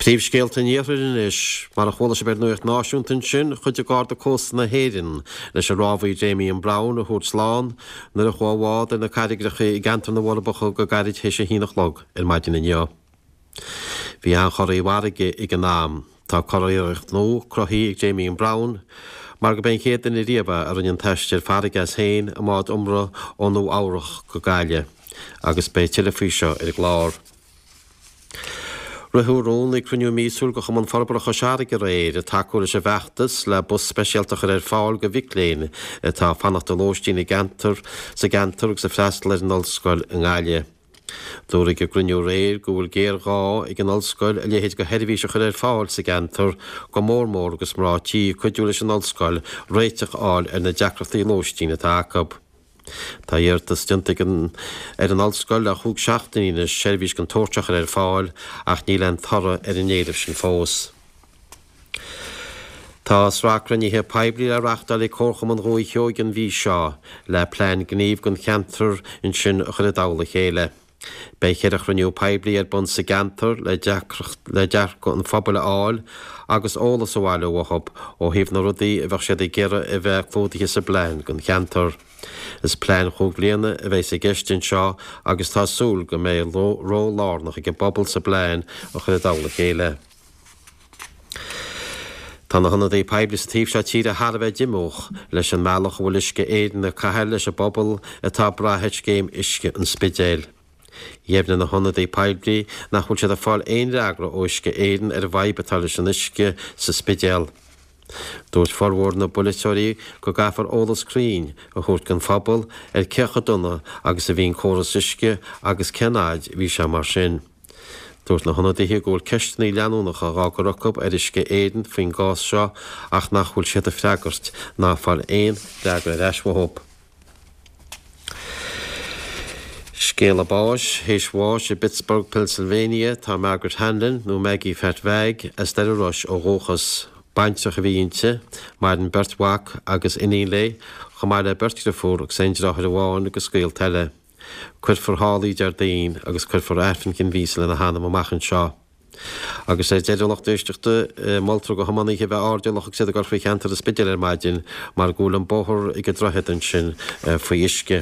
Príomhscéalta an Iarthair anois. Mar a chuala sibh ar Nuacht Náisiúnta ansin, chuidigh Garda Cósta na hÉireann leis an rámhaí Damien Browne a thabhairt slán nuair a chuaigh a bhád ar na carraigreacha i gceantar na bhForbacha go gairid théis a haon a chlog ar maidin inniu. Bhí an-chorraí farraige ag an am. Tá curiarracht nua cruthaithe ag Damien Browne mar gurb é an chéad duine riamh é a rinne an t-aistear farraige as féin i mbád iomramh ó Nua Eabhrach go Gaillimh agus beidh tuilleadh faoi seo ar an gclár. Ritheadh rún ag cruinniú míosúil de Chumann Forbartha Chois Fharraige aréir ag tacú leis an bhfeachtas le bus speisialta a chur ar fáil do mhic léinn atá ag fanacht i lóistín i gceantar sa gceantar agus ag freastal ar an ollscoil i nGaillimh. Dúradh ag an gcruinniú aréir go bhfuil géarghá ag an ollscoil a leithéid de sheirbhís a chur ar fáil sa gceantar, go mór mór agus mná tí ag cuidiú leis an ollscoil réiteach a fháil ar na deacrachtaí lóistín atá acu. Tá iarratas déanta ag an ar an ollscoil le chúig seachtainí anois seirbhís den tsórt seo a chur ar fáil ach níl aon toradh ar an éileamh sin fós. Tá sraith cruinnithe poiblí le reachtáil ag Comharchumann Dhúiche Sheoighe an mhí seo le plean gnímh don cheantar ansin a chur i dtoll a chéile. Beidh cheithre chruinniú poiblí ar bun sa gceantar le le dearcadh an phobail a fháil agus eolas a bhailiú uathu ó thaobh na rudaí a bheadh siad ag iarraidh a bheith clúdaithe sa bplean don cheantar. Is plean chúig bhliana a bheas i gceist anseo agus tá súil go mbeidh ról lárnach ag an bpobal sa bplean a chur i dtoll a chéile. Tá na hionadaithe poiblí sa taobh seo tíre thar a bheith díomách leis an mbealach a bhfuil Uisce Éireann ag caitheamh leis an bpobal atá ag brath ar scéim uisce an Spidéil. Dheimhnigh na hionadaithe poiblí nach bhfuil siad ag fáil aon fhreagra ó Uisce Éireann ar an bhfadhb atá leis an uisce sa Spidéal. Dúirt formhór na bpolaiteoirí go gcaithfear eolas cruinn a thabhairt don phobal ar cé chomh dona agus a bhí an córas uisce agus cén fhaid a bhí sé mar sin. Dúirt na hionadaithe go bhfuil ceisteanna leanúnacha dhá gcur acu ar Uisce Éireann faoin gcás seo ach nach bhfuil siad ag freagairt ná ag fáil aon fhreagra ar ais uathu. Scéala báis, Théis bháis i bPittsburgh, Pennsylvania, tá Margaret Hanlon, nó Maggie Phat Mhag, as Doire Rois ó dhúchas. Baintreach a bhí inti. Maireann beirt mhac agus iníon léi, chomh maith le beirt dhriofúr agus aon deartháir amháin agus gaolta eile. Cuirfear thall í Déardaoin agus cuirfear Aifreann Chinn Mhíosa lena hanam amach anseo. Agus ar deireadh, a lucht éisteachta, moltar do thiománaithe a bheith airdeallach agus iad ag dul faoi cheantar an Spidéil ar maidin mar go bhfuil an bóthar ag an droichead ansin faoi uisce.